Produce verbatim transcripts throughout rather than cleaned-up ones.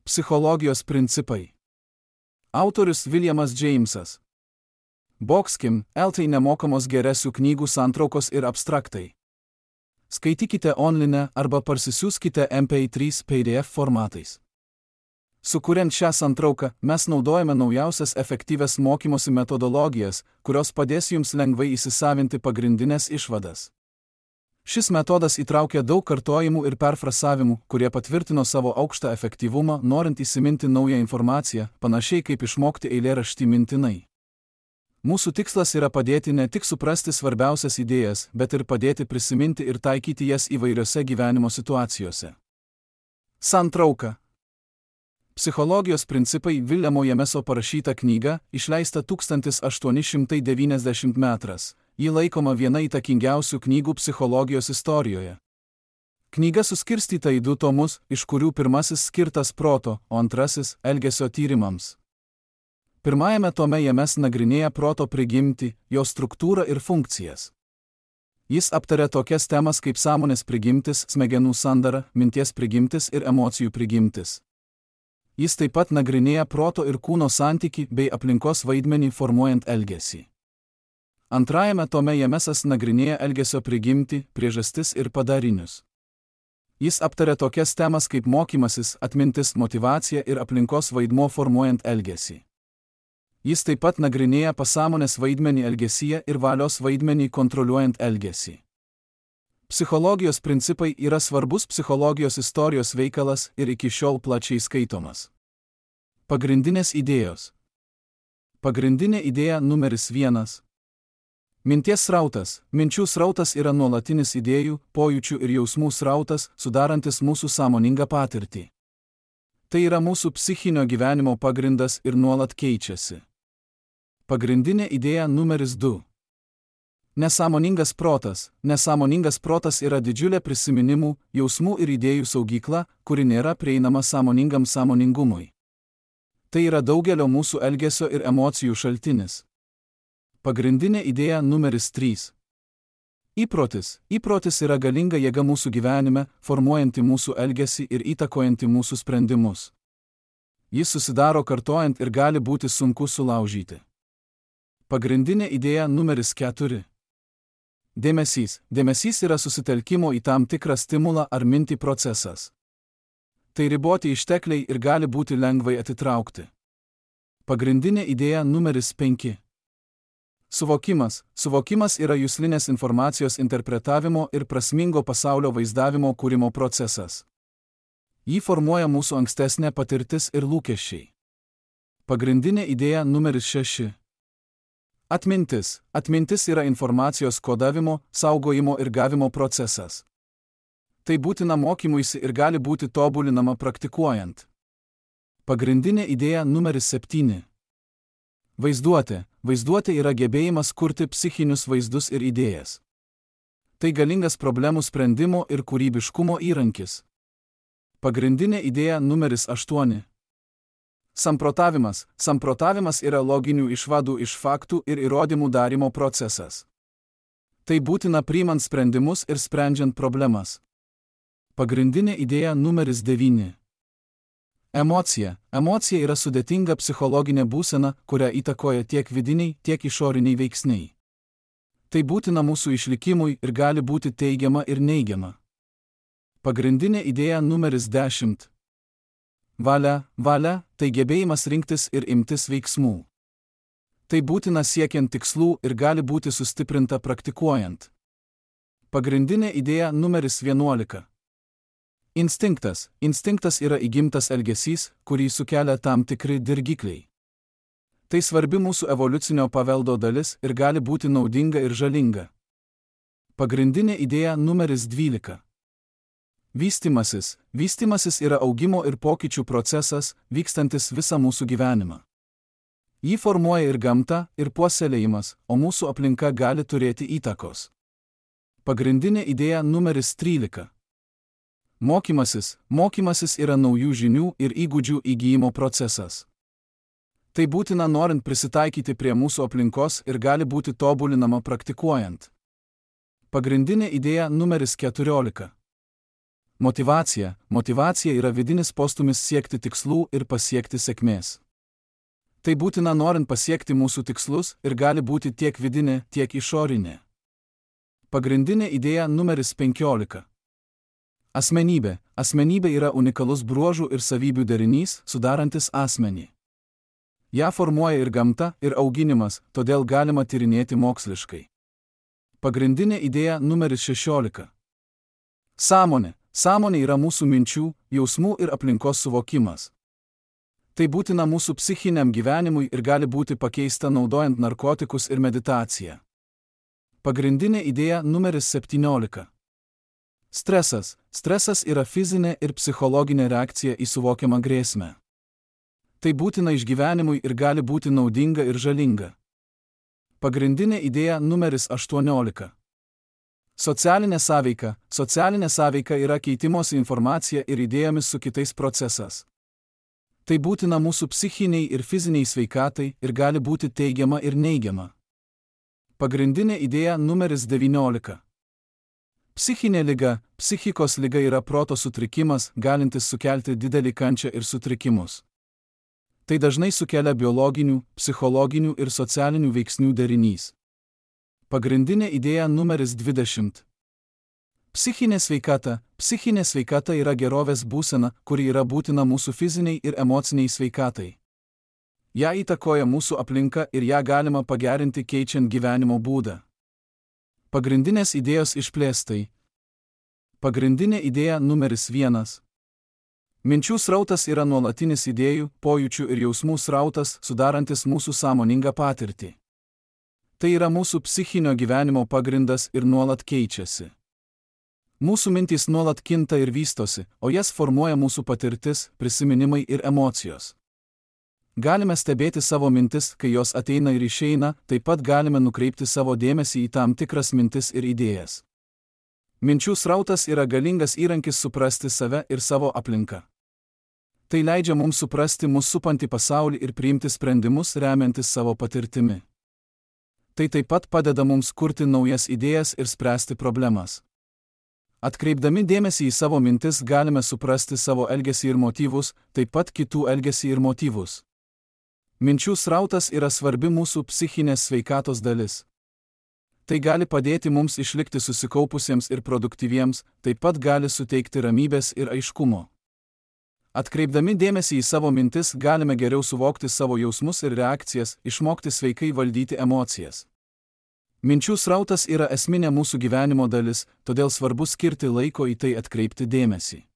Psichologijos principai. Autorius Williamas Jamesas. Boxkim, eltai nemokamos geresių knygų santraukos ir abstraktai. Skaitykite online arba parsisiųskite M P trys P D F formatais. Sukuriant šią santrauką, mes naudojame naujausias efektyvias mokymosi metodologijas, kurios padės jums lengvai įsisavinti pagrindinės išvadas. Šis metodas įtraukia daug kartojimų ir perfrasavimų, kurie patvirtino savo aukštą efektyvumą, norint įsiminti naują informaciją, panašiai kaip išmokti eilėraštį mintinai. Mūsų tikslas yra padėti ne tik suprasti svarbiausias idėjas, bet ir padėti prisiminti ir taikyti jas įvairiose gyvenimo situacijose. Santrauka. Psichologijos principai Williamo Jameso parašyta knyga, išleista tūkstantis aštuoni šimtai devyniasdešimt antras. Ji laikoma viena įtakingiausių knygų psichologijos istorijoje. Knyga suskirstyta į du tomus, iš kurių pirmasis skirtas proto, o antrasis – elgesio tyrimams. Pirmajame tome James nagrinėja proto prigimtį, jo struktūrą ir funkcijas. Jis aptaria tokias temas kaip sąmonės prigimtis, smegenų sandara, minties prigimtis ir emocijų prigimtis. Jis taip pat nagrinėja proto ir kūno santykį bei aplinkos vaidmenį formuojant elgesį. Antrajame tome Jamesas nagrinėja elgesio prigimtį, priežastis ir padarinius. Jis aptaria tokias temas kaip mokymasis, atmintis, motyvacija ir aplinkos vaidmuo formuojant elgesį. Jis taip pat nagrinėja pasąmonės vaidmenį elgesyje ir valios vaidmenį kontroliuojant elgesį. Psichologijos principai yra svarbus psichologijos istorijos veikalas ir iki šiol plačiai skaitomas. Pagrindinės idėjos. Pagrindinė idėja numeris vienas. Minties srautas. Minčių srautas yra nuolatinis idėjų, pojūčių ir jausmų srautas, sudarantis mūsų sąmoningą patirtį. Tai yra mūsų psichinio gyvenimo pagrindas ir nuolat keičiasi. Pagrindinė idėja numeris du. Nesąmoningas protas. Nesąmoningas protas yra didžiulė prisiminimų, jausmų ir idėjų saugykla, kuri nėra prieinama sąmoningam sąmoningumui. Tai yra daugelio mūsų elgesio ir emocijų šaltinis. Pagrindinė idėja numeris trys. Įprotis. Įprotis yra galinga jėga mūsų gyvenime, formuojanti mūsų elgesį ir įtakojanti mūsų sprendimus. Jis susidaro kartojant ir gali būti sunku sulaužyti. Pagrindinė idėja numeris keturi. Dėmesys. Dėmesys yra susitelkimo į tam tikrą stimulą ar mintį procesas. Tai riboti ištekliai ir gali būti lengvai atitraukti. Pagrindinė idėja numeris penki. Suvokimas. Suvokimas yra juslinės informacijos interpretavimo ir prasmingo pasaulio vaizdavimo kūrimo procesas. Jį formuoja mūsų ankstesnė patirtis ir lūkesčiai. Pagrindinė idėja numeris šeši. Atmintis. Atmintis yra informacijos kodavimo, saugojimo ir gavimo procesas. Tai būtina mokymuisi ir gali būti tobulinama praktikuojant. Pagrindinė idėja numeris septyni. Vaizduotė. Vaizduotė yra gebėjimas kurti psichinius vaizdus ir idėjas. Tai galingas problemų sprendimo ir kūrybiškumo įrankis. Pagrindinė idėja numeris aštuoni. Samprotavimas. Samprotavimas yra loginių išvadų iš faktų ir įrodymų darimo procesas. Tai būtina priimant sprendimus ir sprendžiant problemas. Pagrindinė idėja numeris devyni. Emocija. Emocija yra sudėtinga psichologinė būsena, kurią įtakoja tiek vidiniai, tiek išoriniai veiksniai. Tai būtina mūsų išlikimui ir gali būti teigiama ir neigiama. Pagrindinė idėja numeris dešimt. Valia. Valia – tai gebėjimas rinktis ir imtis veiksmų. Tai būtina siekiant tikslų ir gali būti sustiprinta praktikuojant. Pagrindinė idėja numeris vienuolika. Instinktas. Instinktas yra įgimtas elgesys, kurį sukelia tam tikri dirgikliai. Tai svarbi mūsų evoliucinio paveldo dalis ir gali būti naudinga ir žalinga. Pagrindinė idėja numeris dvylika. Vystymasis. Vystymasis yra augimo ir pokyčių procesas, vykstantis visą mūsų gyvenimą. Jį formuoja ir gamta, ir puoselėjimas, o mūsų aplinka gali turėti įtakos. Pagrindinė idėja numeris trylika. Mokymasis. Mokymasis yra naujų žinių ir įgūdžių įgyjimo procesas. Tai būtina norint prisitaikyti prie mūsų aplinkos ir gali būti tobulinama praktikuojant. Pagrindinė idėja numeris keturiolika. Motyvacija. Motyvacija yra vidinis postumis siekti tikslų ir pasiekti sėkmės. Tai būtina norint pasiekti mūsų tikslus ir gali būti tiek vidinė, tiek išorinė. Pagrindinė idėja numeris penkiolika. Asmenybė. Asmenybė yra unikalus bruožų ir savybių derinys, sudarantis asmenį. Ja formuoja ir gamta, ir auginimas, todėl galima tyrinėti moksliškai. Pagrindinė idėja numeris šešiolika. Sąmonė. Sąmonė yra mūsų minčių, jausmų ir aplinkos suvokimas. Tai būtina mūsų psichiniam gyvenimui ir gali būti pakeista naudojant narkotikus ir meditaciją. Pagrindinė idėja numeris septyniolika. Stresas. Stresas yra fizinė ir psichologinė reakcija į suvokiamą grėsmę. Tai būtina išgyvenimui ir gali būti naudinga ir žalinga. Pagrindinė idėja numeris aštuoniolika. Socialinė sąveika. Socialinė sąveika yra keitimosi informacija ir idėjomis su kitais procesas. Tai būtina mūsų psichiniai ir fiziniai sveikatai ir gali būti teigiama ir neigiama. Pagrindinė idėja numeris devyniolika. Psichinė liga. Psichikos liga yra proto sutrikimas, galintis sukelti didelį kančią ir sutrikimus. Tai dažnai sukelia biologinių, psichologinių ir socialinių veiksnių derinys. Pagrindinė idėja numeris dvidešimt. Psichinė sveikata. Psichinė sveikata yra gerovės būsena, kuri yra būtina mūsų fiziniai ir emociniai sveikatai. Ja įtakoja mūsų aplinka ir ją galima pagerinti keičiant gyvenimo būdą. Pagrindinės idėjos išplėstai. Pagrindinė idėja numeris vienas. Minčių srautas yra nuolatinis idėjų, pojūčių ir jausmų srautas, sudarantis mūsų sąmoningą patirtį. Tai yra mūsų psichinio gyvenimo pagrindas ir nuolat keičiasi. Mūsų mintys nuolat kinta ir vystosi, o jas formuoja mūsų patirtis, prisiminimai ir emocijos. Galime stebėti savo mintis, kai jos ateina ir išeina, taip pat galime nukreipti savo dėmesį į tam tikras mintis ir idėjas. Minčių srautas yra galingas įrankis suprasti save ir savo aplinką. Tai leidžia mums suprasti mus supantį pasaulį ir priimti sprendimus remiantis savo patirtimi. Tai taip pat padeda mums kurti naujas idėjas ir spręsti problemas. Atkreipdami dėmesį į savo mintis galime suprasti savo elgesį ir motyvus, taip pat kitų elgesį ir motyvus. Minčių srautas yra svarbi mūsų psichinės sveikatos dalis. Tai gali padėti mums išlikti susikaupusiems ir produktyviems, taip pat gali suteikti ramybės ir aiškumo. Atkreipdami dėmesį į savo mintis galime geriau suvokti savo jausmus ir reakcijas, išmokti sveikai valdyti emocijas. Minčių srautas yra esminė mūsų gyvenimo dalis, todėl svarbu skirti laiko į tai atkreipti dėmesį.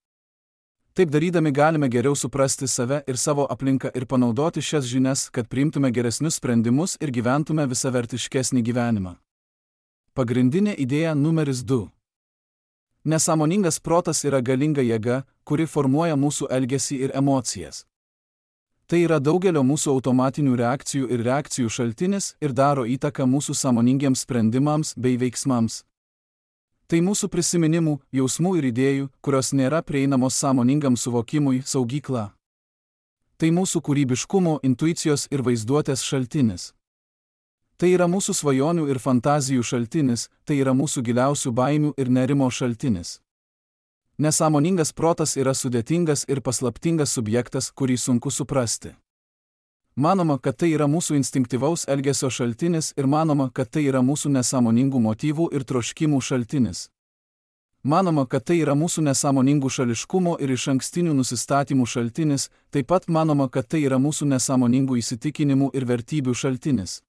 Taip darydami galime geriau suprasti save ir savo aplinką ir panaudoti šias žinias, kad priimtume geresnius sprendimus ir gyventume visavertiškesnį gyvenimą. Pagrindinė idėja numeris du. Nesąmoningas protas yra galinga jėga, kuri formuoja mūsų elgesį ir emocijas. Tai yra daugelio mūsų automatinių reakcijų ir reakcijų šaltinis ir daro įtaką mūsų sąmoningiems sprendimams bei veiksmams. Tai mūsų prisiminimų, jausmų ir idėjų, kurios nėra prieinamos sąmoningam suvokimui, saugykla. Tai mūsų kūrybiškumo, intuicijos ir vaizduotės šaltinis. Tai yra mūsų svajonių ir fantazijų šaltinis, tai yra mūsų giliausių baimių ir nerimo šaltinis. Nesąmoningas protas yra sudėtingas ir paslaptingas subjektas, kurį sunku suprasti. Manoma, kad tai yra mūsų instinktyvaus elgesio šaltinis ir manoma, kad tai yra mūsų nesąmoningų motyvų ir troškimų šaltinis. Manoma, kad tai yra mūsų nesąmoningų šališkumo ir išankstinių nusistatymų šaltinis, taip pat manoma, kad tai yra mūsų nesąmoningų įsitikinimų ir vertybių šaltinis.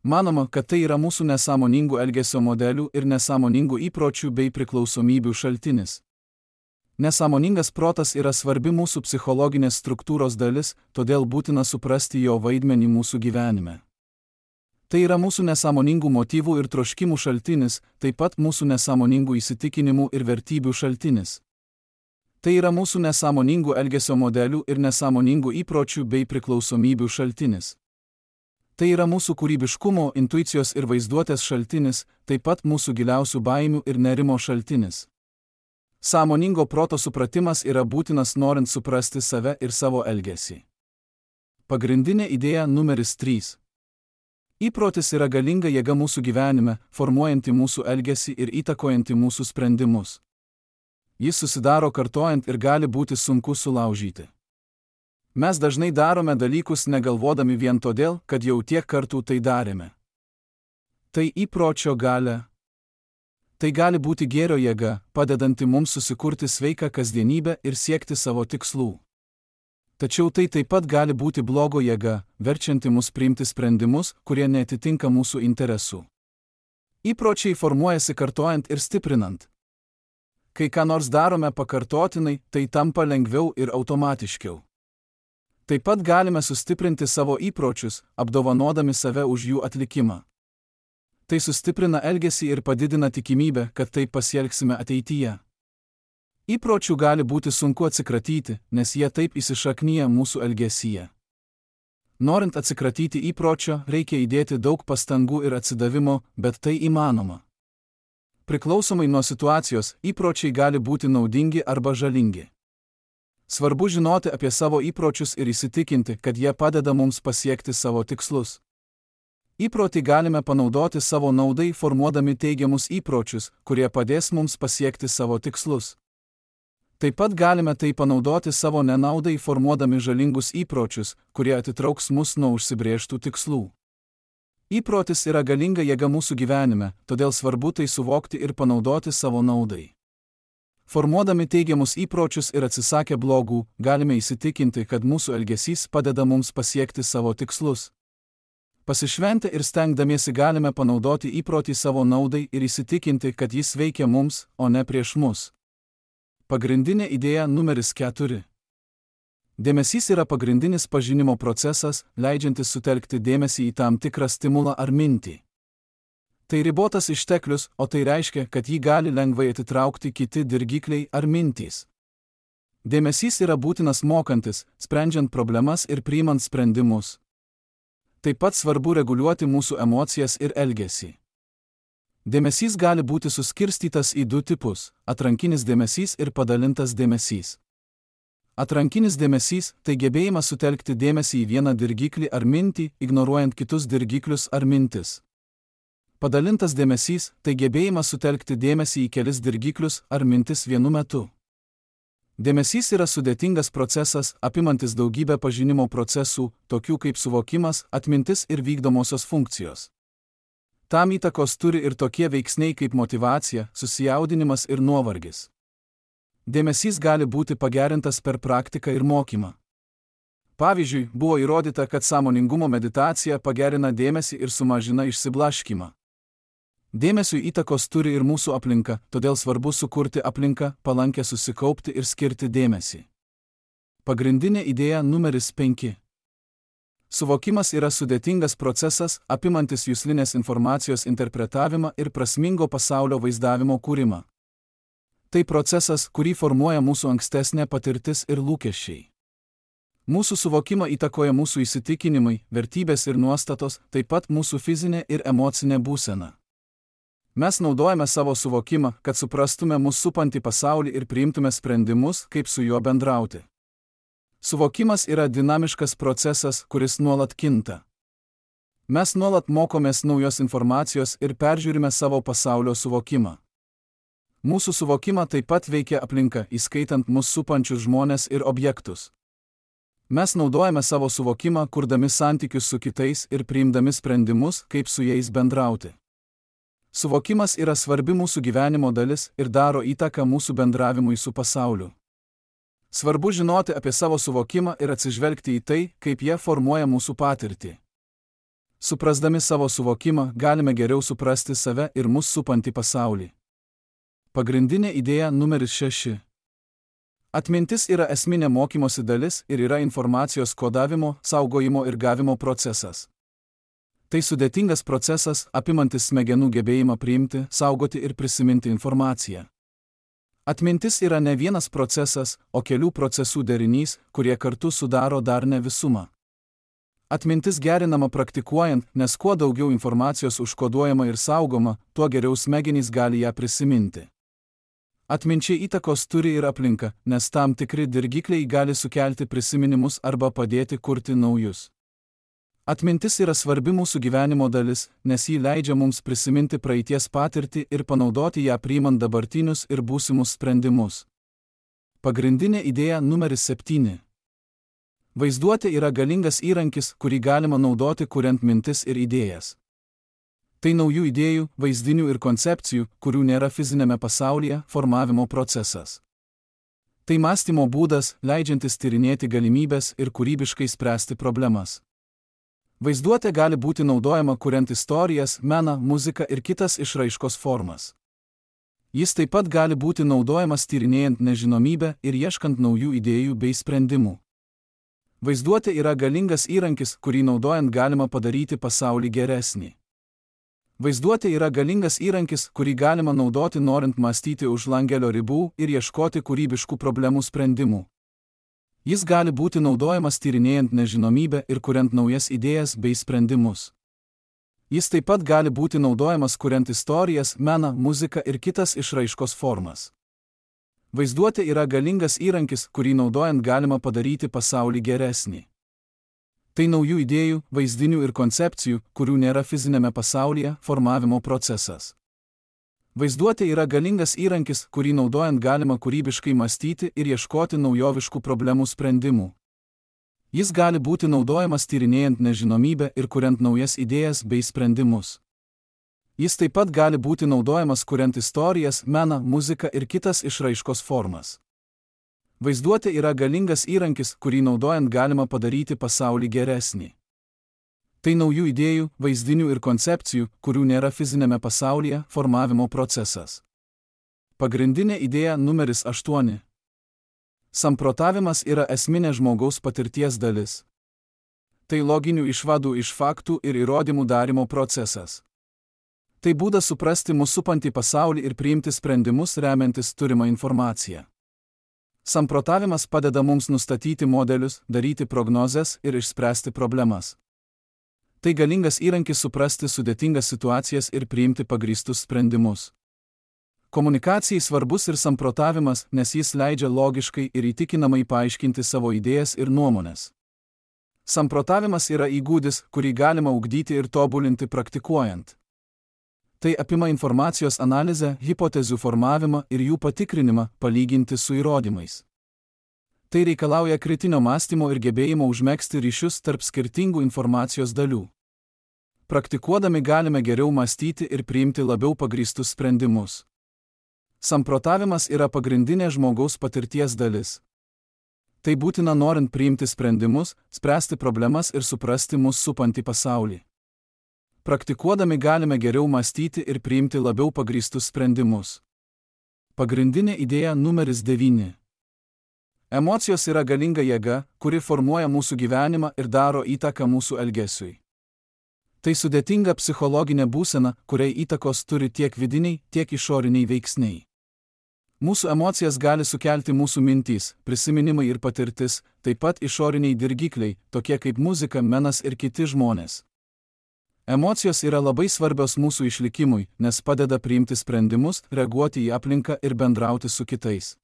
Manoma, kad tai yra mūsų nesąmoningų elgesio modelių ir nesąmoningų įpročių bei priklausomybių šaltinis. Nesąmoningas protas yra svarbi mūsų psichologinės struktūros dalis, todėl būtina suprasti jo vaidmenį mūsų gyvenime. Tai yra mūsų nesąmoningų motyvų ir troškimų šaltinis, taip pat mūsų nesąmoningų įsitikinimų ir vertybių šaltinis. Tai yra mūsų nesąmoningų elgesio modelių ir nesąmoningų įpročių bei priklausomybių šaltinis. Tai yra mūsų kūrybiškumo, intuicijos ir vaizduotės šaltinis, taip pat mūsų giliausių baimių ir nerimo šaltinis. Sąmoningo proto supratimas yra būtinas norint suprasti save ir savo elgesį. Pagrindinė idėja numeris trys. Įprotis yra galinga jėga mūsų gyvenime, formuojanti mūsų elgesį ir įtakojanti mūsų sprendimus. Jis susidaro kartojant ir gali būti sunku sulaužyti. Mes dažnai darome dalykus negalvodami vien todėl, kad jau tiek kartų tai darėme. Tai įpročio galia. Tai gali būti gėrio jėga, padedanti mums susikurti sveiką kasdienybę ir siekti savo tikslų. Tačiau tai taip pat gali būti blogo jėga, verčianti mus priimti sprendimus, kurie neatitinka mūsų interesų. Įpročiai formuojasi kartojant ir stiprinant. Kai ką nors darome pakartotinai, tai tampa lengviau ir automatiškiau. Taip pat galime sustiprinti savo įpročius, apdovanodami save už jų atlikimą. Tai sustiprina elgesį ir padidina tikimybę, kad taip pasielgsime ateityje. Įpročių gali būti sunku atsikratyti, nes jie taip įsišaknyja mūsų elgesyje. Norint atsikratyti įpročio, reikia įdėti daug pastangų ir atsidavimo, bet tai įmanoma. Priklausomai nuo situacijos, įpročiai gali būti naudingi arba žalingi. Svarbu žinoti apie savo įpročius ir įsitikinti, kad jie padeda mums pasiekti savo tikslus. Įprotį galime panaudoti savo naudai, formuodami teigiamus įpročius, kurie padės mums pasiekti savo tikslus. Taip pat galime tai panaudoti savo nenaudai, formuodami žalingus įpročius, kurie atitrauks mus nuo užsibrėžtų tikslų. Įprotis yra galinga jėga mūsų gyvenime, todėl svarbu tai suvokti ir panaudoti savo naudai. Formuodami teigiamus įpročius ir atsisakę blogų, galime įsitikinti, kad mūsų elgesys padeda mums pasiekti savo tikslus. Pasišventę ir stengdamiesi galime panaudoti įprotį savo naudai ir įsitikinti, kad jis veikia mums, o ne prieš mus. Pagrindinė idėja numeris keturi. Dėmesys yra pagrindinis pažinimo procesas, leidžiantis sutelkti dėmesį į tam tikrą stimulą ar mintį. Tai ribotas išteklius, o tai reiškia, kad jį gali lengvai atitraukti kiti dirgikliai ar mintys. Dėmesys yra būtinas mokantis, sprendžiant problemas ir priimant sprendimus. Taip pat svarbu reguliuoti mūsų emocijas ir elgesį. Dėmesys gali būti suskirstytas į du tipus – atrankinis dėmesys ir padalintas dėmesys. Atrankinis dėmesys – tai gebėjimas sutelkti dėmesį į vieną dirgiklį ar mintį, ignoruojant kitus dirgiklius ar mintis. Padalintas dėmesys – tai gebėjimas sutelkti dėmesį į kelis dirgiklius ar mintis vienu metu. Dėmesys yra sudėtingas procesas, apimantis daugybę pažinimo procesų, tokių kaip suvokimas, atmintis ir vykdomosios funkcijos. Tam įtakos turi ir tokie veiksniai kaip motyvacija, susijaudinimas ir nuovargis. Dėmesys gali būti pagerintas per praktiką ir mokymą. Pavyzdžiui, buvo įrodyta, kad sąmoningumo meditacija pagerina dėmesį ir sumažina išsiblaškymą. Dėmesiui įtakos turi ir mūsų aplinka, todėl svarbu sukurti aplinką, palankę susikaupti ir skirti dėmesį. Pagrindinė idėja numeris penki. Suvokimas yra sudėtingas procesas, apimantis juslinės informacijos interpretavimą ir prasmingo pasaulio vaizdavimo kūrimą. Tai procesas, kurį formuoja mūsų ankstesnė patirtis ir lūkesčiai. Mūsų suvokimą įtakoja mūsų įsitikinimai, vertybės ir nuostatos, taip pat mūsų fizinė ir emocinė būsena. Mes naudojame savo suvokimą, kad suprastume mūsų supantį pasaulį ir priimtume sprendimus, kaip su juo bendrauti. Suvokimas yra dinamiškas procesas, kuris nuolat kinta. Mes nuolat mokomės naujos informacijos ir peržiūrime savo pasaulio suvokimą. Mūsų suvokimą taip pat veikia aplinka, įskaitant mus supančius žmones ir objektus. Mes naudojame savo suvokimą, kurdami santykius su kitais ir priimdami sprendimus, kaip su jais bendrauti. Suvokimas yra svarbi mūsų gyvenimo dalis ir daro įtaką mūsų bendravimui su pasauliu. Svarbu žinoti apie savo suvokimą ir atsižvelgti į tai, kaip jie formuoja mūsų patirtį. Suprasdami savo suvokimą, galime geriau suprasti save ir mus supantį pasaulį. Pagrindinė idėja numeris šeši. Atmintis yra esminė mokymosi dalis ir yra informacijos kodavimo, saugojimo ir gavimo procesas. Tai sudėtingas procesas, apimantis smegenų gebėjimą priimti, saugoti ir prisiminti informaciją. Atmintis yra ne vienas procesas, o kelių procesų derinys, kurie kartu sudaro darnią visumą. Atmintis gerinama praktikuojant, nes kuo daugiau informacijos užkoduojama ir saugoma, tuo geriau smegenys gali ją prisiminti. Atminčiai įtakos turi ir aplinka, nes tam tikri dirgikliai gali sukelti prisiminimus arba padėti kurti naujus. Atmintis yra svarbi mūsų gyvenimo dalis, nes ji leidžia mums prisiminti praeities patirtį ir panaudoti ją priimant dabartinius ir būsimus sprendimus. Pagrindinė idėja numeris septyni. Vaizduotė yra galingas įrankis, kurį galima naudoti kuriant mintis ir idėjas. Tai naujų idėjų, vaizdinių ir koncepcijų, kurių nėra fizinėme pasaulyje, formavimo procesas. Tai mąstymo būdas, leidžiantis tyrinėti galimybės ir kūrybiškai spręsti problemas. Vaizduotė gali būti naudojama kuriant istorijas, meną, muziką ir kitas išraiškos formas. Jis taip pat gali būti naudojamas tyrinėjant nežinomybę ir ieškant naujų idėjų bei sprendimų. Vaizduotė yra galingas įrankis, kurį naudojant galima padaryti pasaulį geresnį. Vaizduotė yra galingas įrankis, kurį galima naudoti norint mąstyti už langelio ribų ir ieškoti kūrybiškų problemų sprendimų. Jis gali būti naudojamas tyrinėjant nežinomybę ir kuriant naujas idėjas bei sprendimus. Jis taip pat gali būti naudojamas kuriant istorijas, meną, muziką ir kitas išraiškos formas. Vaizduotė yra galingas įrankis, kurį naudojant galima padaryti pasaulį geresnį. Tai naujų idėjų, vaizdinių ir koncepcijų, kurių nėra fizinėme pasaulyje, formavimo procesas. Vaizduotė yra galingas įrankis, kurį naudojant galima kūrybiškai mąstyti ir ieškoti naujoviškų problemų sprendimų. Jis gali būti naudojamas tyrinėjant nežinomybę ir kuriant naujas idėjas bei sprendimus. Jis taip pat gali būti naudojamas kuriant istorijas, meną, muziką ir kitas išraiškos formas. Vaizduotė yra galingas įrankis, kurį naudojant galima padaryti pasaulį geresnį. Tai naujų idėjų, vaizdinių ir koncepcijų, kurių nėra fizinėme pasaulyje, formavimo procesas. Pagrindinė idėja numeris aštuoni. Samprotavimas yra esminė žmogaus patirties dalis. Tai loginių išvadų iš faktų ir įrodymų darymo procesas. Tai būdas suprasti mūsų supantį pasaulį ir priimti sprendimus remiantis turimą informaciją. Samprotavimas padeda mums nustatyti modelius, daryti prognozes ir išspręsti problemas. Tai galingas įrankis suprasti sudėtingas situacijas ir priimti pagrįstus sprendimus. Komunikacijai svarbus ir samprotavimas, nes jis leidžia logiškai ir įtikinamai paaiškinti savo idėjas ir nuomones. Samprotavimas yra įgūdis, kurį galima ugdyti ir tobulinti praktikuojant. Tai apima informacijos analizę, hipotezių formavimą ir jų patikrinimą, palyginti su įrodymais. Tai reikalauja kritinio mąstymo ir gebėjimo užmegzti ryšius tarp skirtingų informacijos dalių. Praktikuodami galime geriau mąstyti ir priimti labiau pagrįstus sprendimus. Samprotavimas yra pagrindinė žmogaus patirties dalis. Tai būtina norint priimti sprendimus, spręsti problemas ir suprasti mus supantį pasaulį. Praktikuodami galime geriau mąstyti ir priimti labiau pagrįstus sprendimus. Pagrindinė idėja numeris devyni. Emocijos yra galinga jėga, kuri formuoja mūsų gyvenimą ir daro įtaką mūsų elgesiui. Tai sudėtinga psichologinė būsena, kuriai įtakos turi tiek vidiniai, tiek išoriniai veiksniai. Mūsų emocijas gali sukelti mūsų mintys, prisiminimai ir patirtis, taip pat išoriniai dirgikliai, tokie kaip muzika, menas ir kiti žmonės. Emocijos yra labai svarbios mūsų išlikimui, nes padeda priimti sprendimus, reaguoti į aplinką ir bendrauti su kitais.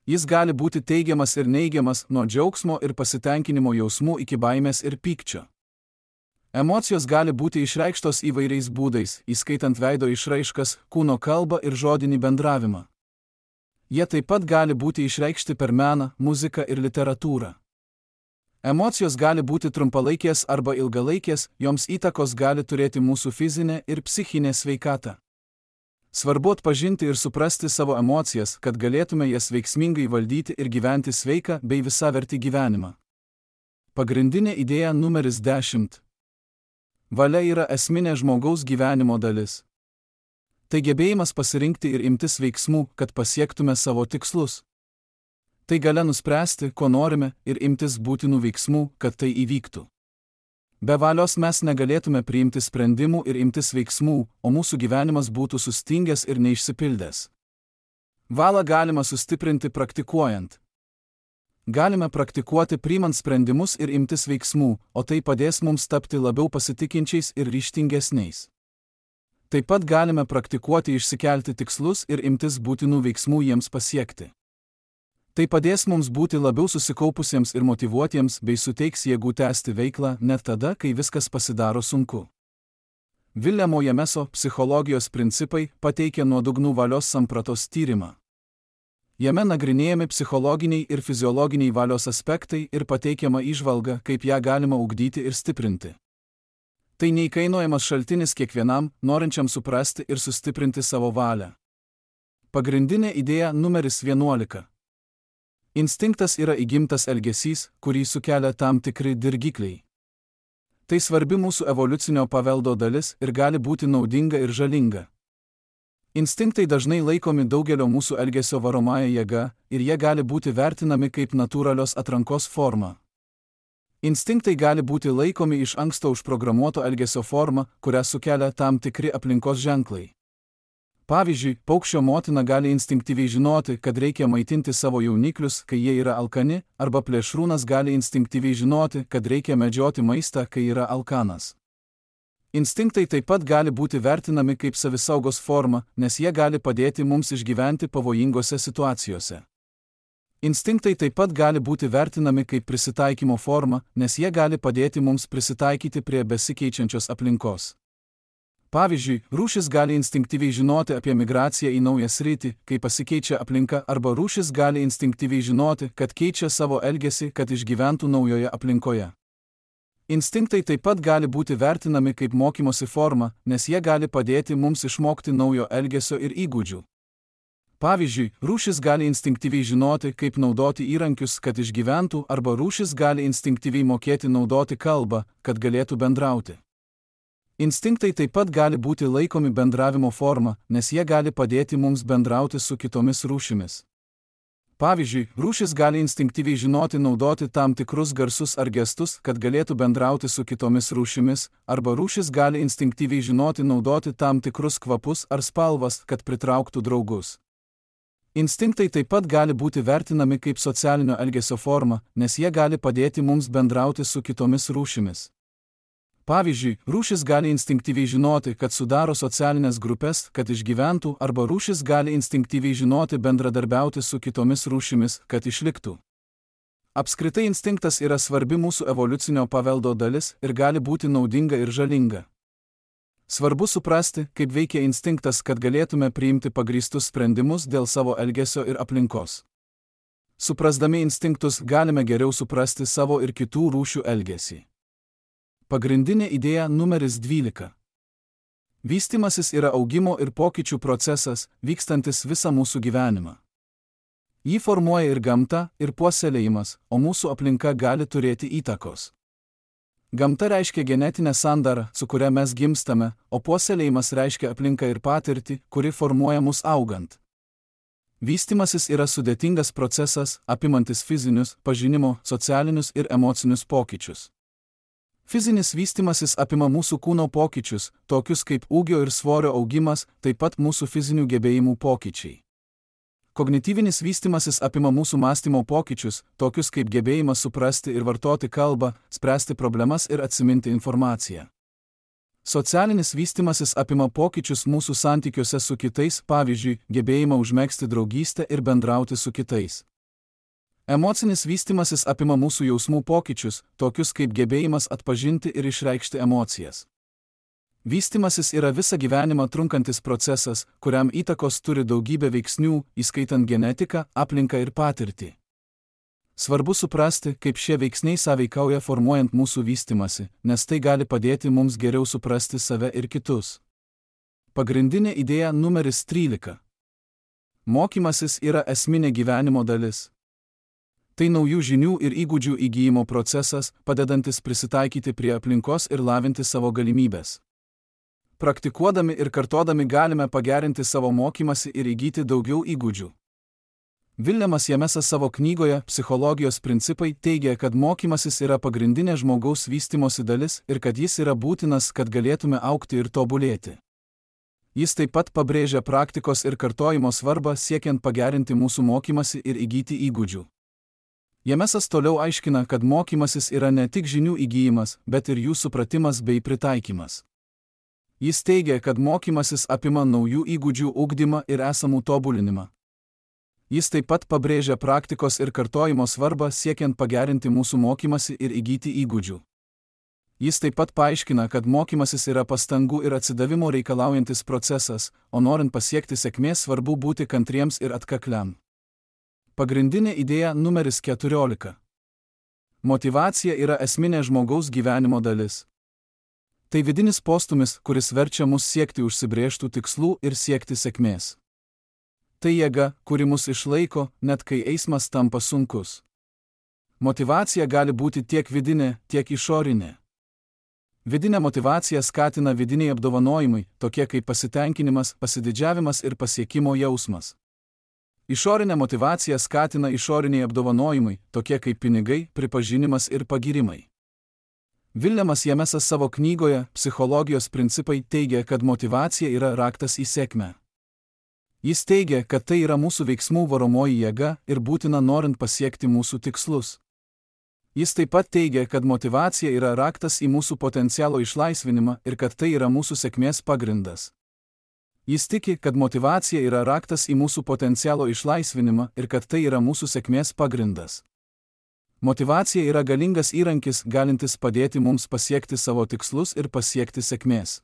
Jis gali būti teigiamas ir neigiamas, nuo džiaugsmo ir pasitenkinimo jausmų iki baimės ir pykčio. Emocijos gali būti išreikštos įvairiais būdais, įskaitant veido išraiškas, kūno kalbą ir žodinį bendravimą. Jie taip pat gali būti išreikšti per meną, muziką ir literatūrą. Emocijos gali būti trumpalaikės arba ilgalaikės, joms įtakos gali turėti mūsų fizinė ir psichinė sveikata. Svarbu atpažinti ir suprasti savo emocijas, kad galėtume jas veiksmingai valdyti ir gyventi sveiką bei visavertį gyvenimą. Pagrindinė idėja numeris dešimt. Valia yra esminė žmogaus gyvenimo dalis. Tai gebėjimas pasirinkti ir imtis veiksmų, kad pasiektume savo tikslus. Tai galia nuspręsti, ko norime, ir imtis būtinų veiksmų, kad tai įvyktų. Be valios mes negalėtume priimti sprendimų ir imtis veiksmų, o mūsų gyvenimas būtų sustingęs ir neišsipildęs. Valią galima sustiprinti praktikuojant. Galime praktikuoti priimant sprendimus ir imtis veiksmų, o tai padės mums tapti labiau pasitikinčiais ir ryžtingesniais. Taip pat galime praktikuoti išsikelti tikslus ir imtis būtinų veiksmų jiems pasiekti. Tai padės mums būti labiau susikaupusiems ir motyvuotiems bei suteiks jėgų tęsti veiklą net tada, kai viskas pasidaro sunku. Viljamo Jameso psichologijos principai pateikia nuodugnų valios sampratos tyrimą. Jame nagrinėjami psichologiniai ir fiziologiniai valios aspektai ir pateikiama įžvalga, kaip ją galima ugdyti ir stiprinti. Tai neįkainojamas šaltinis kiekvienam, norinčiam suprasti ir sustiprinti savo valią. Pagrindinė idėja numeris vienuolika. Instinktas yra įgimtas elgesys, kurį sukelia tam tikri dirgikliai. Tai svarbi mūsų evoliucinio paveldo dalis ir gali būti naudinga ir žalinga. Instinktai dažnai laikomi daugelio mūsų elgesio varomąja jėga ir jie gali būti vertinami kaip natūralios atrankos forma. Instinktai gali būti laikomi iš anksto užprogramuoto elgesio forma, kurią sukelia tam tikri aplinkos ženklai. Pavyzdžiui, paukščio motina gali instinktyviai žinoti, kad reikia maitinti savo jauniklius, kai jie yra alkani, arba plėšrūnas gali instinktyviai žinoti, kad reikia medžioti maistą, kai yra alkanas. Instinktai taip pat gali būti vertinami kaip savisaugos forma, nes jie gali padėti mums išgyventi pavojingose situacijose. Instinktai taip pat gali būti vertinami kaip prisitaikymo forma, nes jie gali padėti mums prisitaikyti prie besikeičiančios aplinkos. Pavyzdžiui, rūšis gali instinktyviai žinoti apie migraciją į naują sritį, kai pasikeičia aplinka, arba rūšis gali instinktyviai žinoti, kad keičia savo elgesį, kad išgyventų naujoje aplinkoje. Instinktai taip pat gali būti vertinami kaip mokymosi forma, nes jie gali padėti mums išmokti naujo elgesio ir įgūdžių. Pavyzdžiui, rūšis gali instinktyviai žinoti, kaip naudoti įrankius, kad išgyventų, arba rūšis gali instinktyviai mokėti naudoti kalbą, kad galėtų bendrauti. Instinktai taip pat gali būti laikomi bendravimo forma, nes jie gali padėti mums bendrauti su kitomis rūšimis. Pavyzdžiui, rūšis gali instinktyviai žinoti naudoti tam tikrus garsus ar gestus, kad galėtų bendrauti su kitomis rūšimis, arba rūšis gali instinktyviai žinoti naudoti tam tikrus kvapus ar spalvas, kad pritrauktų draugus. Instinktai taip pat gali būti vertinami kaip socialinio elgesio forma, nes jie gali padėti mums bendrauti su kitomis rūšimis. Pavyzdžiui, rūšis gali instinktyviai žinoti, kad sudaro socialinės grupės, kad išgyventų, arba rūšis gali instinktyviai žinoti bendradarbiauti su kitomis rūšimis, kad išliktų. Apskritai instinktas yra svarbi mūsų evoliucinio paveldo dalis ir gali būti naudinga ir žalinga. Svarbu suprasti, kaip veikia instinktas, kad galėtume priimti pagrįstus sprendimus dėl savo elgesio ir aplinkos. Suprasdami instinktus galime geriau suprasti savo ir kitų rūšių elgesį. Pagrindinė idėja numeris dvylika. Vystimasis yra augimo ir pokyčių procesas, vykstantis visą mūsų gyvenimą. Jį formuoja ir gamta, ir puoselėjimas, o mūsų aplinka gali turėti įtakos. Gamta reiškia genetinę sandarą, su kuria mes gimstame, o puoselėjimas reiškia aplinką ir patirtį, kuri formuoja mus augant. Vystimasis yra sudėtingas procesas, apimantis fizinius, pažinimo, socialinius ir emocinius pokyčius. Fizinis vystimasis apima mūsų kūno pokyčius, tokius kaip ūgio ir svorio augimas, taip pat mūsų fizinių gebėjimų pokyčiai. Kognityvinis vystimasis apima mūsų mąstymo pokyčius, tokius kaip gebėjimas suprasti ir vartoti kalbą, spręsti problemas ir atsiminti informaciją. Socialinis vystimasis apima pokyčius mūsų santykiuose su kitais, pavyzdžiui, gebėjimą užmegzti draugystę ir bendrauti su kitais. Emocinis vystimasis apima mūsų jausmų pokyčius, tokius kaip gebėjimas atpažinti ir išreikšti emocijas. Vystimasis yra visą gyvenimą trunkantis procesas, kuriam įtakos turi daugybė veiksnių, įskaitant genetiką, aplinką ir patirtį. Svarbu suprasti, kaip šie veiksniai sąveikauja formuojant mūsų vystimasi, nes tai gali padėti mums geriau suprasti save ir kitus. Pagrindinė idėja numeris trylika. Mokymasis yra esminė gyvenimo dalis. Tai naujų žinių ir įgūdžių įgyjimo procesas, padedantis prisitaikyti prie aplinkos ir lavinti savo galimybės. Praktikuodami ir kartodami galime pagerinti savo mokymasi ir įgyti daugiau įgūdžių. Viljamas Jamesas savo knygoje Psichologijos principai teigia, kad mokymasis yra pagrindinė žmogaus vystimosi dalis ir kad jis yra būtinas, kad galėtume augti ir tobulėti. Jis taip pat pabrėžia praktikos ir kartojimo svarbą siekiant pagerinti mūsų mokymasi ir įgyti įgūdžių. Jamesas toliau aiškina, kad mokymasis yra ne tik žinių įgyjimas, bet ir jų supratimas bei pritaikymas. Jis teigia, kad mokymasis apima naujų įgūdžių ugdymą ir esamų tobulinimą. Jis taip pat pabrėžia praktikos ir kartojimo svarbą siekiant pagerinti mūsų mokymasi ir įgyti įgūdžių. Jis taip pat paaiškina, kad mokymasis yra pastangų ir atsidavimo reikalaujantis procesas, o norint pasiekti sėkmės svarbu būti kantriems ir atkakliam. Pagrindinė idėja numeris keturiolika. Motyvacija yra esminė žmogaus gyvenimo dalis. Tai vidinis postumis, kuris verčia mus siekti užsibrėžtų tikslų ir siekti sėkmės. Tai jėga, kuri mus išlaiko, net kai eismas tampa sunkus. Motyvacija gali būti tiek vidinė, tiek išorinė. Vidinė motyvacija skatina vidiniai apdovanojimai, tokie kaip pasitenkinimas, pasididžiavimas ir pasiekimo jausmas. Išorinė motyvacija skatina išoriniai apdovanojimai, tokie kaip pinigai, pripažinimas ir pagyrimai. Viljamas Jamesas savo knygoje Psichologijos principai teigia, kad motyvacija yra raktas į sėkmę. Jis teigia, kad tai yra mūsų veiksmų varomoji jėga ir būtina norint pasiekti mūsų tikslus. Jis taip pat teigia, kad motyvacija yra raktas į mūsų potencialo išlaisvinimą ir kad tai yra mūsų sėkmės pagrindas. Jis tiki, kad motyvacija yra raktas į mūsų potencialo išlaisvinimą ir kad tai yra mūsų sėkmės pagrindas. Motyvacija yra galingas įrankis, galintis padėti mums pasiekti savo tikslus ir pasiekti sėkmės.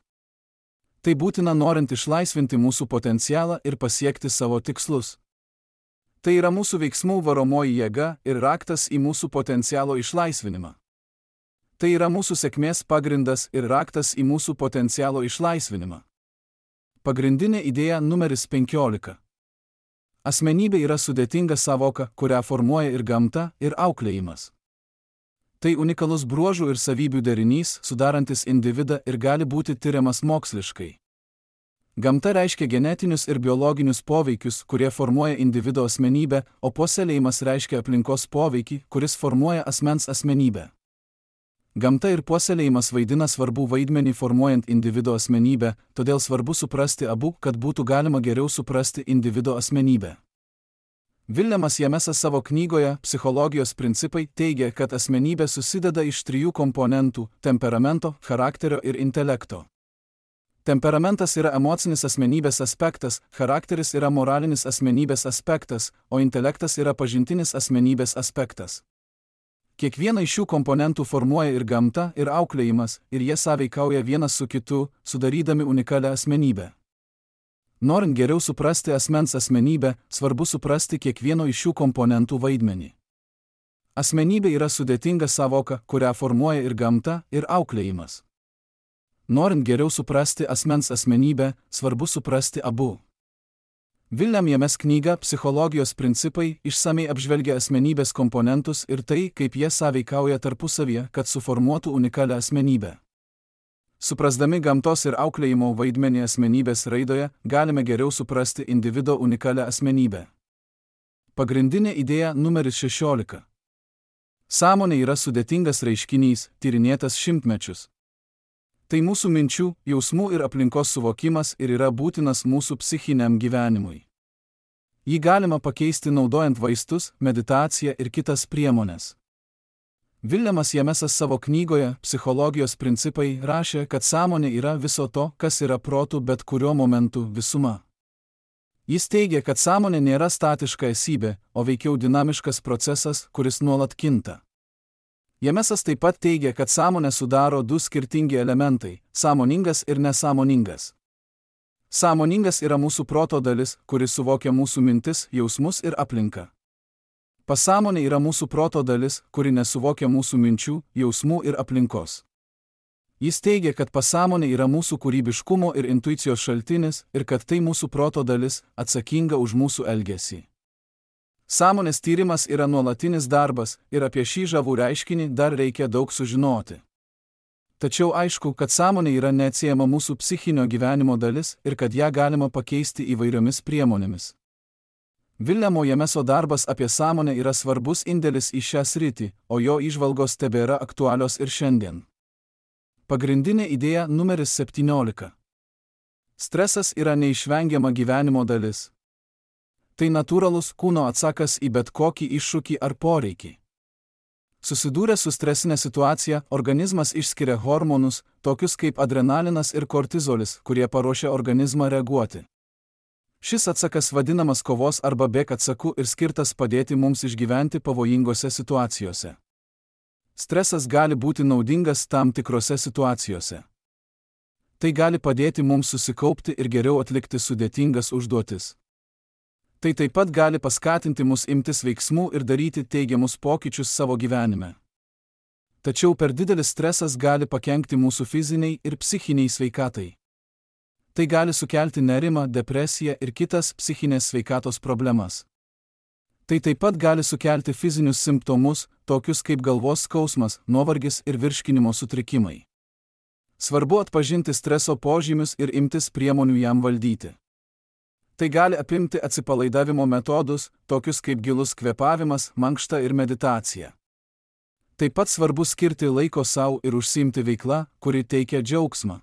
Tai būtina norint išlaisvinti mūsų potencialą ir pasiekti savo tikslus. Tai yra mūsų veiksmų varomoji jėga ir raktas į mūsų potencialo išlaisvinimą. Tai yra mūsų sėkmės pagrindas ir raktas į mūsų potencialo išlaisvinimą. Pagrindinė idėja numeris penkiolika. Asmenybė yra sudėtinga savoka, kurią formuoja ir gamta, ir auklėjimas. Tai unikalus bruožų ir savybių derinys, sudarantis individą ir gali būti tiriamas moksliškai. Gamta reiškia genetinius ir biologinius poveikius, kurie formuoja individo asmenybę, o puoselėjimas reiškia aplinkos poveikį, kuris formuoja asmens asmenybę. Gamta ir puoselėjimas vaidina svarbų vaidmenį formuojant individo asmenybę, todėl svarbu suprasti abu, kad būtų galima geriau suprasti individo asmenybę. Viljamas Jamesas savo knygoje Psichologijos principai teigia, kad asmenybė susideda iš trijų komponentų – temperamento, charakterio ir intelekto. Temperamentas yra emocinis asmenybės aspektas, charakteris yra moralinis asmenybės aspektas, o intelektas yra pažintinis asmenybės aspektas. Kiekvieną iš šių komponentų formuoja ir gamta, ir auklėjimas, ir jie sąveikauja vienas su kitu, sudarydami unikalią asmenybę. Norint geriau suprasti asmens asmenybę, svarbu suprasti kiekvieno iš šių komponentų vaidmenį. Asmenybė yra sudėtinga savoka, kurią formuoja ir gamta, ir auklėjimas. Norint geriau suprasti asmens asmenybę, svarbu suprasti abu. William James knyga Psichologijos principai išsamiai apžvelgia asmenybės komponentus ir tai, kaip jie sąveikauja tarpusavyje, kad suformuotų unikalią asmenybę. Suprasdami gamtos ir auklėjimo vaidmenį asmenybės raidoje, galime geriau suprasti individo unikalią asmenybę. Pagrindinė idėja numeris šešiolika. Sąmonė yra sudėtingas reiškinys, tyrinėtas šimtmečius. Tai mūsų minčių, jausmų ir aplinkos suvokimas ir yra būtinas mūsų psichiniam gyvenimui. Jį galima pakeisti naudojant vaistus, meditaciją ir kitas priemones. Viljamas Jamesas savo knygoje Psichologijos principai rašė, kad sąmonė yra viso to, kas yra protų bet kuriuo momentu visuma. Jis teigia, kad sąmonė nėra statiška esybė, o veikiau dinamiškas procesas, kuris nuolat kinta. Jamesas taip pat teigia, kad sąmonę sudaro du skirtingi elementai – sąmoningas ir nesąmoningas. Sąmoningas yra mūsų proto dalis, kuris suvokia mūsų mintis, jausmus ir aplinką. Pasąmonė yra mūsų proto dalis, kuri nesuvokia mūsų minčių, jausmų ir aplinkos. Jis teigia, kad pasąmonė yra mūsų kūrybiškumo ir intuicijos šaltinis ir kad tai mūsų proto dalis, atsakinga už mūsų elgesį. Sąmonės tyrimas yra nuolatinis darbas ir apie šį žavų reiškinį dar reikia daug sužinoti. Tačiau aišku, kad sąmonė yra neatsiejama mūsų psichinio gyvenimo dalis ir kad ją galima pakeisti įvairiomis priemonėmis. Viljamo Jameso darbas apie sąmonę yra svarbus indėlis į šią sritį, o jo įžvalgos tebėra aktualios ir šiandien. Pagrindinė idėja numeris septyniolika. Stresas yra neišvengiama gyvenimo dalis. Tai natūralus kūno atsakas į bet kokį iššūkį ar poreikį. Susidūrę su stresinė situacija, organizmas išskiria hormonus, tokius kaip adrenalinas ir kortizolis, kurie paruošia organizmą reaguoti. Šis atsakas vadinamas kovos arba bėk atsaku ir skirtas padėti mums išgyventi pavojingose situacijose. Stresas gali būti naudingas tam tikrose situacijose. Tai gali padėti mums susikaupti ir geriau atlikti sudėtingas užduotis. Tai taip pat gali paskatinti mus imtis veiksmų ir daryti teigiamus pokyčius savo gyvenime. Tačiau per didelis stresas gali pakenkti mūsų fiziniai ir psichiniai sveikatai. Tai gali sukelti nerimą, depresiją ir kitas psichinės sveikatos problemas. Tai taip pat gali sukelti fizinius simptomus, tokius kaip galvos skausmas, nuovargis ir virškinimo sutrikimai. Svarbu atpažinti streso požymius ir imtis priemonių jam valdyti. Tai gali apimti atsipalaidavimo metodus, tokius kaip gilus kvėpavimas, mankšta ir meditacija. Taip pat svarbu skirti laiko sau ir užsiimti veikla, kuri teikia džiaugsmą.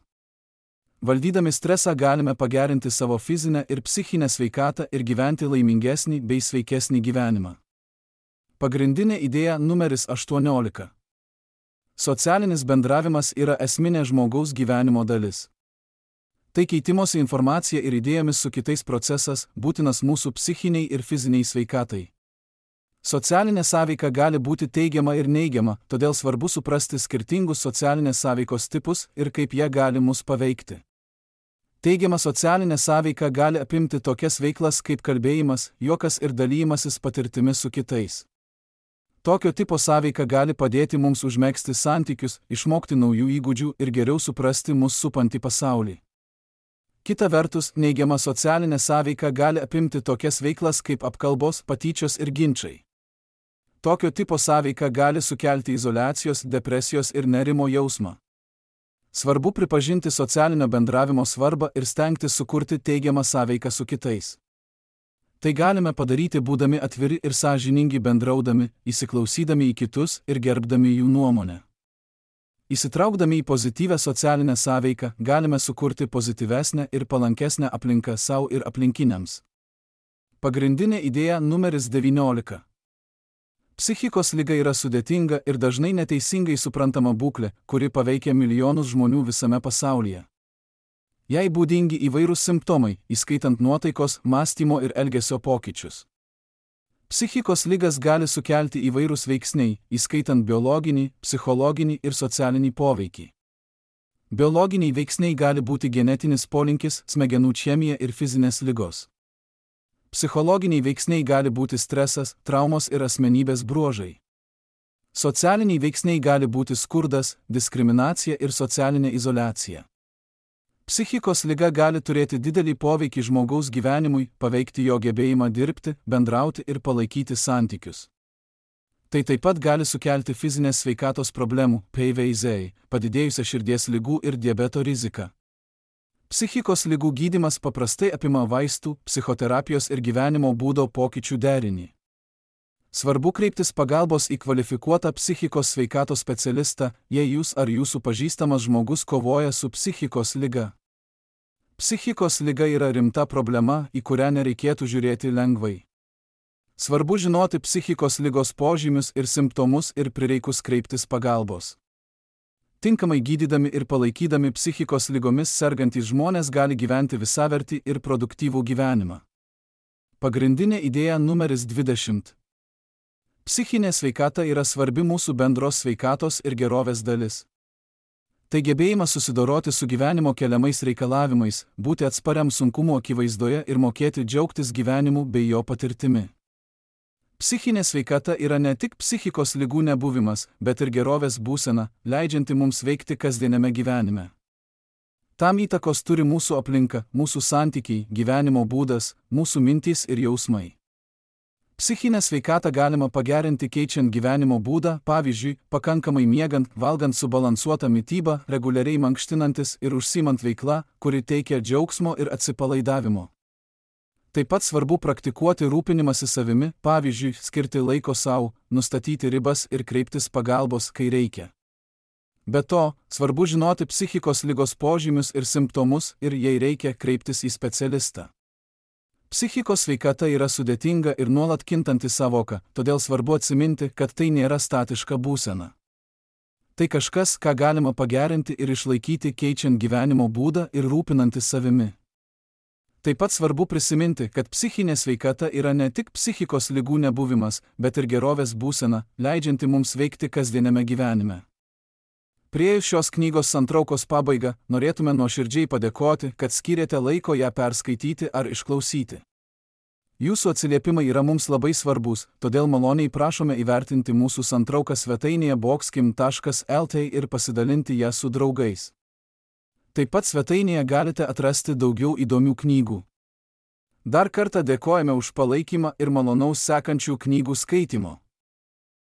Valdydami stresą galime pagerinti savo fizinę ir psichinę sveikatą ir gyventi laimingesnį bei sveikesnį gyvenimą. Pagrindinė idėja numeris aštuoniolika. Socialinis bendravimas yra esminė žmogaus gyvenimo dalis. Tai keitimosi informacija ir idėjomis su kitais procesas, būtinas mūsų psichiniai ir fiziniai sveikatai. Socialinė sąveika gali būti teigiama ir neigiama, todėl svarbu suprasti skirtingus socialinės sąveikos tipus ir kaip jie gali mus paveikti. Teigiama socialinė sąveika gali apimti tokias veiklas kaip kalbėjimas, juokas ir dalymasis patirtimi su kitais. Tokio tipo sąveika gali padėti mums užmegzti santykius, išmokti naujų įgūdžių ir geriau suprasti mus supantį pasaulį. Kita vertus, neigiama socialinė sąveika gali apimti tokias veiklas kaip apkalbos, patyčios ir ginčai. Tokio tipo sąveika gali sukelti izoliacijos, depresijos ir nerimo jausmą. Svarbu pripažinti socialinio bendravimo svarbą ir stengtis sukurti teigiamą sąveiką su kitais. Tai galime padaryti būdami atviri ir sąžiningi bendraudami, įsiklausydami į kitus ir gerbdami jų nuomonę. Įsitraukdami į pozityvę socialinę sąveiką, galime sukurti pozityvesnę ir palankesnę aplinką sau ir aplinkiniams. Pagrindinė idėja numeris devyniolika. Psichikos liga yra sudėtinga ir dažnai neteisingai suprantama būklė, kuri paveikia milijonus žmonių visame pasaulyje. Jai būdingi įvairūs simptomai, įskaitant nuotaikos, mąstymo ir elgesio pokyčius. Psichikos ligas gali sukelti įvairūs veiksniai, įskaitant biologinį, psichologinį ir socialinį poveikį. Biologiniai veiksniai gali būti genetinis polinkis, smegenų chemija ir fizinės ligos. Psichologiniai veiksniai gali būti stresas, traumos ir asmenybės bruožai. Socialiniai veiksniai gali būti skurdas, diskriminacija ir socialinė izoliacija. Psichikos liga gali turėti didelį poveikį žmogaus gyvenimui, paveikti jo gebėjimą dirbti, bendrauti ir palaikyti santykius. Tai taip pat gali sukelti fizinės sveikatos problemų, P V Z, padidėjusią širdies ligų ir diabeto riziką. Psichikos ligų gydymas paprastai apima vaistų, psichoterapijos ir gyvenimo būdo pokyčių derinį. Svarbu kreiptis pagalbos į kvalifikuotą psichikos sveikatos specialistą, jei jūs ar jūsų pažįstamas žmogus kovoja su psichikos liga. Psichikos liga yra rimta problema, į kurią nereikėtų žiūrėti lengvai. Svarbu žinoti psichikos ligos požymius ir simptomus ir prireikus kreiptis pagalbos. Tinkamai gydydami ir palaikydami psichikos ligomis sergantys žmonės gali gyventi visavertį ir produktyvų gyvenimą. Pagrindinė idėja numeris dvidešimt. Psichinė sveikata yra svarbi mūsų bendros sveikatos ir gerovės dalis. Tai gebėjimas susidoroti su gyvenimo keliamais reikalavimais, būti atspariam sunkumo akivaizdoje ir mokėti džiaugtis gyvenimu bei jo patirtimi. Psichinė sveikata yra ne tik psichikos ligų nebuvimas, bet ir gerovės būsena, leidžianti mums veikti kasdieniame gyvenime. Tam įtakos turi mūsų aplinka, mūsų santykiai, gyvenimo būdas, mūsų mintys ir jausmai. Psichinę sveikatą galima pagerinti keičiant gyvenimo būdą, pavyzdžiui, pakankamai miegant, valgant subalansuotą mitybą, reguliariai mankštinantis ir užsiimant veikla, kuri teikia džiaugsmo ir atsipalaidavimo. Taip pat svarbu praktikuoti rūpinimąsi savimi, pavyzdžiui, skirti laiko sau, nustatyti ribas ir kreiptis pagalbos, kai reikia. Be to, svarbu žinoti psichikos ligos požymius ir simptomus ir, jei reikia, kreiptis į specialistą. Psichikos sveikata yra sudėtinga ir nuolat kintanti sąvoka, todėl svarbu atsiminti, kad tai nėra statiška būsena. Tai kažkas, ką galima pagerinti ir išlaikyti keičiant gyvenimo būdą ir rūpinantis savimi. Taip pat svarbu prisiminti, kad psichinė sveikata yra ne tik psichikos ligų nebuvimas, bet ir gerovės būsena, leidžianti mums veikti kasdieniame gyvenime. Priėjus šios knygos santraukos pabaigą, norėtume nuoširdžiai padėkoti, kad skyrėte laiko ją perskaityti ar išklausyti. Jūsų atsiliepimai yra mums labai svarbus, todėl maloniai prašome įvertinti mūsų santrauką svetainėje boxkim taškas el t ir pasidalinti ją su draugais. Taip pat svetainėje galite atrasti daugiau įdomių knygų. Dar kartą dėkojame už palaikymą ir malonaus sekančių knygų skaitimo.